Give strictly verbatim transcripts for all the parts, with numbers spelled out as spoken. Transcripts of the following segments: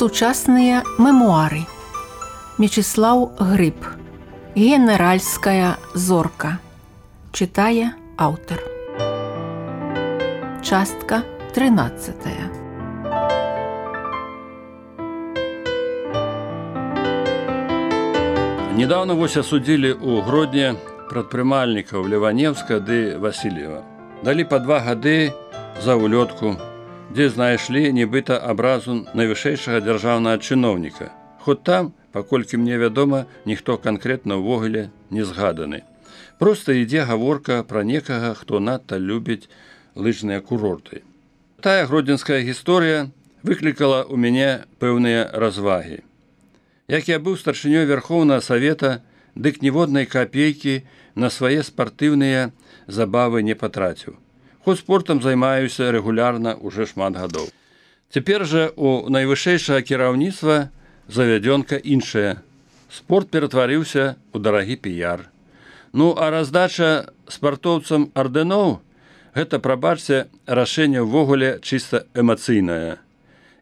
Сучасныя мемуары. Мечыслаў Грыб. Генеральская зорка. Чытае аўтар. Частка трынаццатая. Недавно вось асудзілі ў Гродні прадпрымальнікаў Леваневска ды Васильева. Далі па два гады за улётку, дзе знайшлі нібыта абразу найвышэйшага дзяржаўнага чыноўніка. Хоць там, паколькі мне вядома, ніхто канкрэтна ўвогуле не згаданы. Проста ідзе гаворка пра некага, хто надта любіць лыжныя курорты. Тая гродзенская гісторыя выклікала ў мяне пэўныя развагі. Як я быў старшынёй Верхоўнага Савета, дык ніводнай капейкі на свае спартыўныя забавы не патраціў. Хоць спортам займаюся рэгулярна ўжо шмат гадоў. Цяпер жа у найвышэйшага кіраўніцтва завядзёнка іншая. Спорт ператварыўся ў дарагі піяр. Ну, а раздача спартоўцам ардэноў – гэта, прабачце, рашэнне ўвогуле чыста эмацыйнае.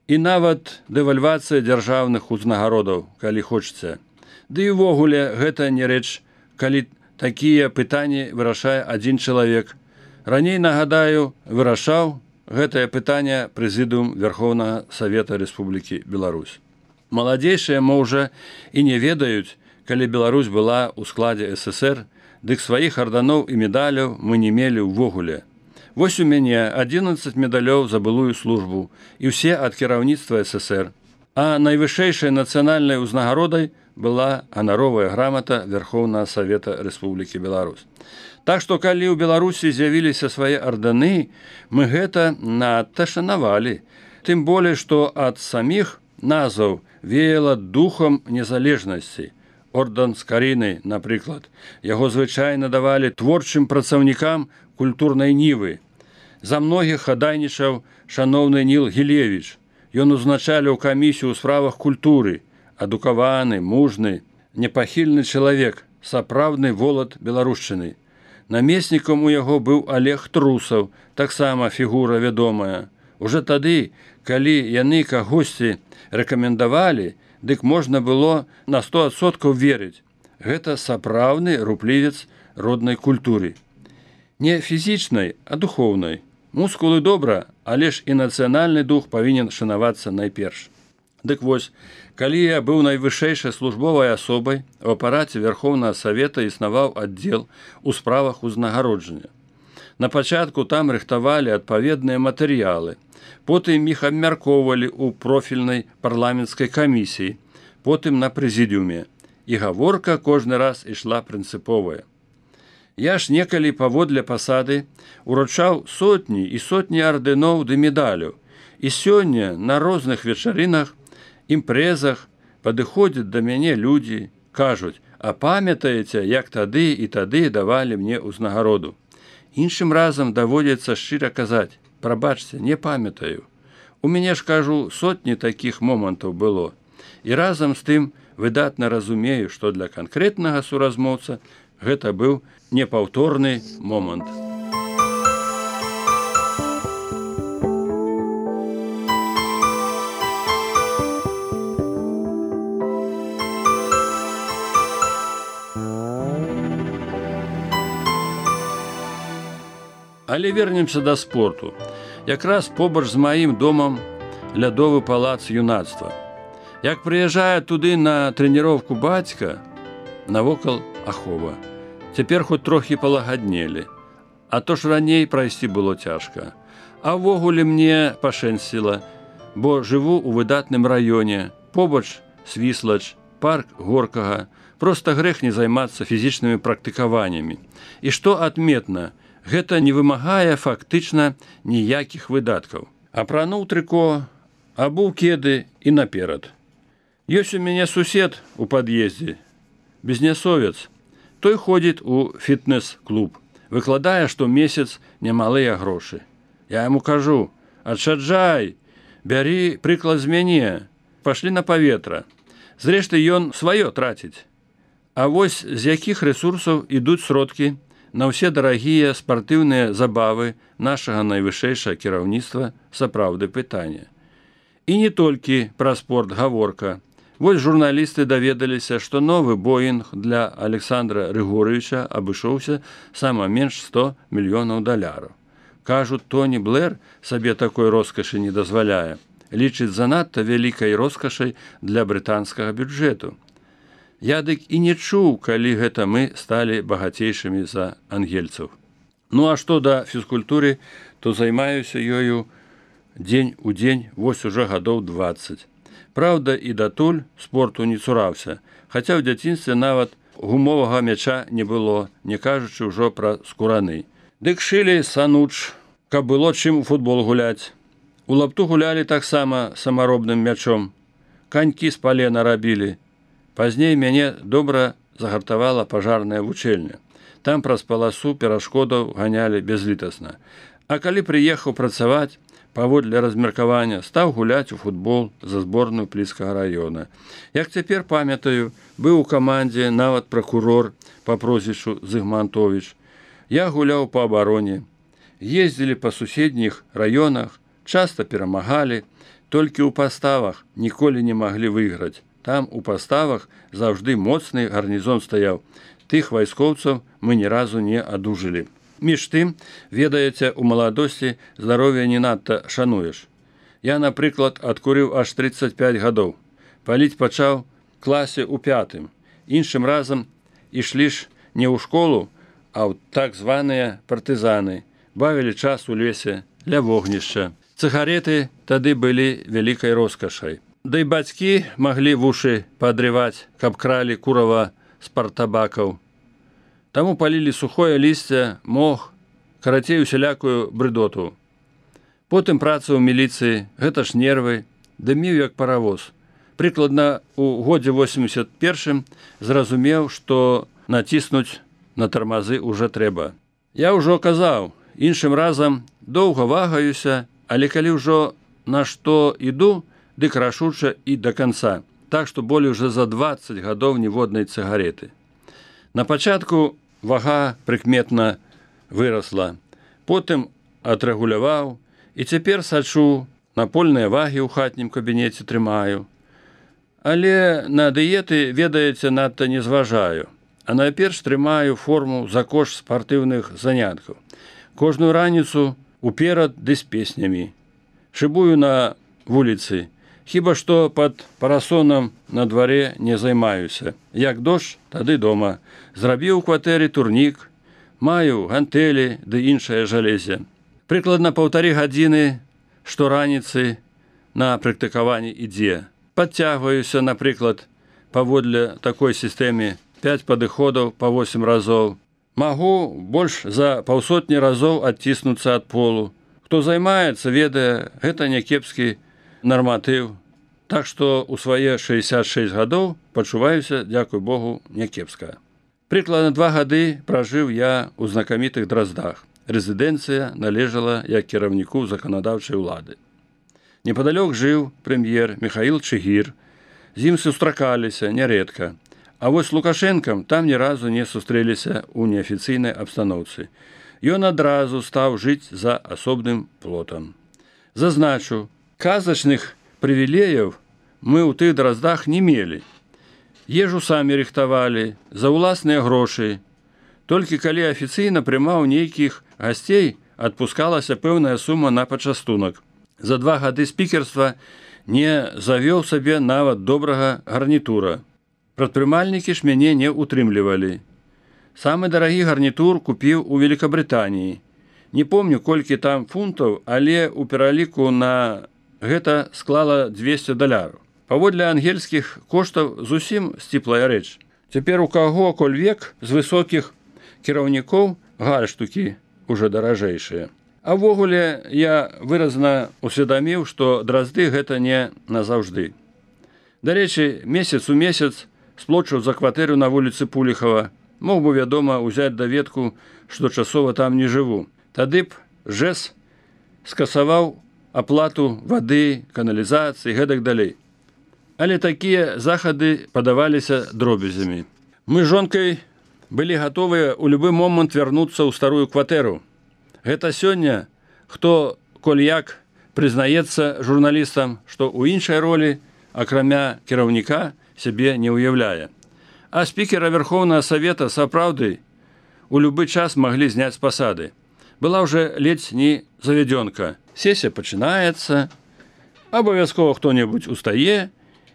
І нават дэвальвацыя дзяржаўных узнагародаў, калі хочаце. Ды і ўвогуле гэта не рэч, калі такія пытанні вырашае адзін чалавек. Раней, нагадаю, вырашаў гэтае пытанне прэзідыум Верхоўнага Савета Рэспублікі Беларусь. Маладзейшыя, можа, і не ведаюць, калі Беларусь была ў складзе эс эсэр, дык сваіх арданоў і медаляў мы не мелі ўвогуле. Вось у мяне адзінаццаць медалёў за былую службу, і ўсе ад кіраўніцтва эс эсэр. А найвышэйшай нацыянальнай узнагародай была ганаровая грамата Верхоўнага Савета Рэспублікі Беларусь. Так што, калі ў Беларусі з'явіліся свае арданы, мы гэта надта шанавалі. Тым болей, што ад саміх назваў веяла духам незалежнасці. Ордэн з Карыны, напрыклад, яго звычайна давалі творчым працаўнікам культурнай нівы. За многіх хадайнічаў шаноўны Ніл Гілевіч. Ён узначаліў камісію ў справах культуры. Адукаваны, мужны, непахільны чалавек, сапраўдны волат беларушчыны. Намеснікам у яго быў Олег Трусаў, таксама фігура вядомая. Уже тады, калі яны кагосьці рэкамендавалі, дык можна было на сто адсоткаў верыць. Гэта сапраўдны руплівец роднай культуры. Не фізічнай, а духоўнай. Мускулы добра, але ж і нацыянальны дух павінен шанавацца найперш. Дык вось, калі я быў найвышэйшай службовай асобай, у апараце Верхоўнага Савета існаваў аддзел у справах узнагароджання. На пачатку там рыхтавалі адпаведныя матэрыялы, потым іх абмяркоўвалі ў профільнай парламенцкай камісіі, потым на прэзідыуме, і гаворка кожны раз ішла прынцыповая. Я ж некалі паводле пасады уручаў сотні і сотні ардэноў ды медаляў, і сёння на розных вечарынах, імпрэзах падыходзяць да мяне людзі, кажуць: «А памятаеце, як тады і тады давалі мне ўзнагароду?» Іншым разам даводзіцца шчыра казаць: «Прабачце, не памятаю». У мяне ж, кажу, сотні такіх момантаў было. І разам з тым выдатна разумею, што для канкрэтнага суразмоўца гэта быў непаўторны момант. Але вернемся да спорту. Якраз побач з маім домам лядовы палац юнацтва. Як прыязджае туды на трэніроўку бацька, навокал ахова. Цяпер хоць трохі палагаднелі. А то ж раней прайсці было цяжка. А ўвогуле мне пашэнсціла, бо жыву ў выдатным раёне, побач Свіслач, парк Горкага. Проста грэх не займацца фізічнымі практыкаваннямі. І што адметна, гэта не вымагае фактычна ніякіх выдаткаў. Апрануў трыко, абуў кеды і наперад. Ёсць у мяне сусед у пад'ездзе, бізнесовец. Той ходзіць у фітнес-клуб, выкладае штомесяц немалыя грошы. Я яму кажу: «Адшаджай, бяры прыклад з мяне, пашлі на паветра». Зрэшты, ён сваё траціць. А вось з якіх рэсурсаў ідуць сродкі на ўсе дарагія спартыўныя забавы нашага найвышэйшага кіраўніцтва сапраўды пытанне. І не толькі пра спорт гаворка. Вось журналісты даведаліся, што новы Боінг для Александра Рыгоровича абышоўся сама менш сто мільёнаў даляраў. Кажуць, Тоні Блэр сабе такой роскашы не дазваляе. Лічыць занадта вялікай роскашай для брытанскага бюджэту. Я дык і не чуў, калі гэта мы сталі багацейшымі за ангельцаў. Ну а што да фізкультуры, то займаюся ёю дзень у дзень вось уже гадоў дваццаць. Праўда, і датуль спорту не цураўся, хаця ў дзяцінстве нават гумовага мяча не было, не кажучы ўжо пра скураны. Дык шылі сануч, каб было чым у футбол гуляць. У лапту гулялі таксама самаробным мячом. Канькі з палена рабілі. Пазней мяне добра загартавала пажарная вучэльня. Там праз паласу перашкодаў ганялі бязлітасна. А калі прыехаў працаваць, паводле размеркавання стаў гуляць у футбол за зборную Пліцкага раёна. Як цяпер памятаю, быў у камандзе нават пракурор па прозвішчу Зыгмантовіч. Я гуляў па абароне. Ездзілі па суседніх раёнах, часта перамагалі, толькі ў паставах ніколі не маглі выйграць. Там у паставах заўжды моцны гарнізон стаяў. Тых вайскоўцаў мы ні разу не адужылі. Між тым, ведаеце, у маладосці здароўя не надта шануеш. Я, напрыклад, адкурыў аж трыццаць пяць гадоў. Паліць пачаў класе ў пятым. Іншым разам ішлі ж не ў школу, а ў так званыя партызаны. Бавілі час у лесе, ля вогнішча. Цыгареты тады былі вялікай роскашай. Да і бацькі маглі вушы падрываць, каб кралі курава з партабакаў. Таму палілі сухое лісце, мох, карацей усялякую брыдоту. Потым праца ў міліцыі, гэта ж нервы, дыміў як паравоз. Прыкладна у годзе восемьдесят першым зразумеў, што націснуць на тармазы ўжо трэба. Я ўжо казаў, іншым разам доўга вагаюся, але калі ўжо на што іду, дык рашуча і да канца. Так што болей уже за дваццаць гадоў ніводнай цыгареты. На пачатку вага прыкметна вырасла, потым адрэгуляваў і цяпер сачу, напольныя вагі ў хатнім кабінеце трымаю. Але на дыеты, ведаеце, надта не зважаю, а найперш трымаю форму за кошт спартыўных заняткаў. Кожную раніцу уперад ды з песнямі. Шыбую на вуліцы, хіба што пад парасонам на дварэ не займаюся. Як дождж, тады дома. Зрабіў у кватэры турнік, маю гантэлі ды іншае жалезе. Прыкладна паўтары гадзіны штораніцы на практыкаванні ідзе. Падцягваюся, напрыклад, паводле такой сістэме пяць падыходаў па восем разоў. Магу больш за паўсотні разоў адціснуцца ад полу. Хто займаецца, ведае, гэта някепскі нарматыў. Так што ў свае шэсцьдзесят шэсць гадоў пачуваюся, дзякуй Богу, някепска. Прыкладна два гады пражыў я ў знакамітых Драздах. Рэзідэнцыя належала як кіраўніку заканадаўчай улады. Непадалёк жыў прэм'ер Міхаіл Чыгір. З ім сустракаліся нярэдка. А вось Лукашэнкам там ні разу не сустрэліся ў неафіцыйнай абстаноўцы. Ён адразу стаў жыць за асобным плотам. Зазначу, казачных прывілеяў мы ў тых Драздах не мелі. Ежу самі рыхтавалі, за ўласныя грошы. Толькі калі афіцыйна прымаў нейкіх гасцей, адпускалася пэўная сума на пачастунак. За два гады спікерства не завёў сабе нават добрага гарнітура. Прадпрымальнікі ж мяне не ўтрымлівалі. Самы дарагі гарнітур купіў у Великабрытаніі. Не помню, колькі там фунтаў, але ў пераліку на гэта склала двесце даляраў. Паводле ангельскіх коштаў зусім сціплая рэч. Цяпер у каго коль век з высокіх кіраўнікоў гальштукі ўжо даражэйшыя. А ввогуле я выразна усведаміў, што Дразды гэта не назаўжды. Дарэчы, месяц у месяц сплочыў за кватэру на вуліцы Пуліхава. Мог бы, вядома, узяць даведку, што часова там не жыву. Тады б ЖЭС скасаваў аплату вады, каналізацыі, гэтак далей. Але такія захады падаваліся дробязямі. Мы з жонкай былі гатовыя ў любы момант вярнуцца ў старую кватэру. Гэта сёння, хто коль як прызнаецца журналістам, што ў іншай ролі, акрамя кіраўніка, сябе не ўяўляе. А спікера Верховнага Савета сапраўды у любы час маглі зняць з пасады. Была ўжо ледзь не завядёнка. Сесія пачынаецца, абавязкова хто-небудзь устае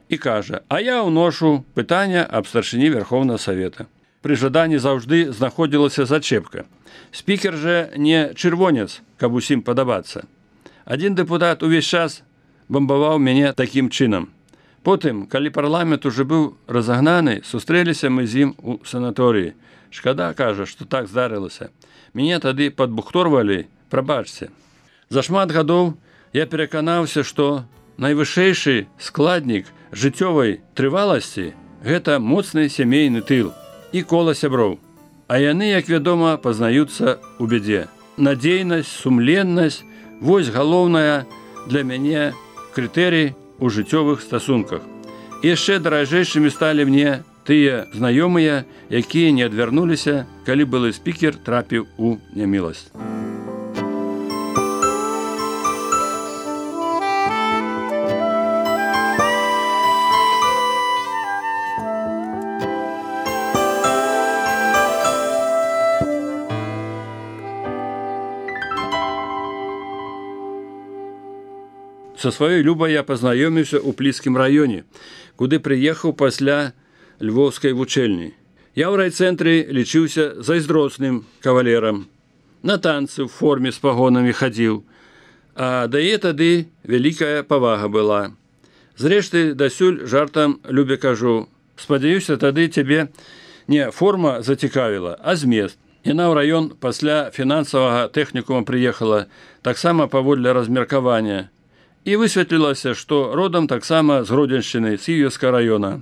і кажа: «А я ўношу пытанне аб старшыні Верховнага Савета». Пры жаданні заўжды знаходзілася зачэпка. Спікер жа не чырвонец, каб усім падабацца. Адзін дэпутат увесь час бамбаваў мяне такім чынам. Потым, калі парламент ужо быў разагнаны, сустрэліся мы з ім у санаторыі. Шкада, кажа, што так здарылася. Мяне тады падбухторвалі, прабачце. За шмат гадоў я пераканаўся, што найвышэйшы складнік жыццёвай трываласці – гэта моцны сямейны тыл і кола сяброў. А яны, як вядома, пазнаюцца ў бядзе. Надзейнасць, сумленнасць – вось галоўная для мяне крытэрый у жыццёвых стасунках. І яшчэ даражэйшымі сталі мне тыя знаёмыя, якія не адвярнуліся, калі былы спікер трапіў у няміласць. Са сваёй Любай я пазнаёміўся ў Пліскім раёне, куды прыехаў пасля львоўскай вучэльні. Я ў райцэнтры лічыўся зайздросным кавалерам. На танцы ў форме з пагонамі хадзіў, а да яе тады вялікая павага была. Зрэшты, дасюль жартам Любе кажу: спадзяюся, тады цябе не форма зацікавіла, а змест. Яна ў раён пасля фінансавага тэхнікума прыехала, таксама паводле размеркавання. І высветлілася, што родам таксама з Гродзеншчыны, з Кіеўскага раёна.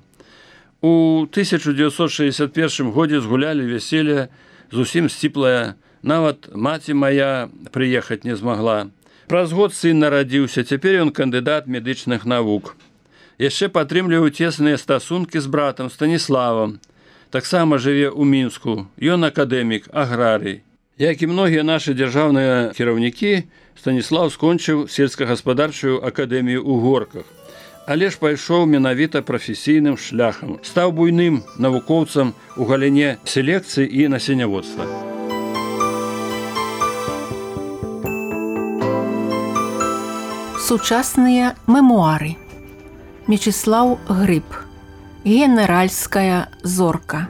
У тысяча дзевяцьсот шэсцьдзесят першым годзе згулялі вяселле зусім сціплае, нават маці мая прыехаць не змагла. Праз год сын нарадзіўся, цяпер ён кандыдат медычных навук. Яшчэ падтрымліваў цесныя стасункі з братам Станіславам. Таксама жыве ў Мінску, ён акадэмік, аграрый. Як і многія нашы дзяржаўныя кіраўнікі, Станіслав скончыў сельскагаспадарчую акадэмію ў Горках, але ж пайшоў менавіта прафесійным шляхам, стаў буйным навукоўцам у галіне селекцыі і насенняводства. Сучасныя мемуары. Мечыслаў Грыб. Генеральская зорка.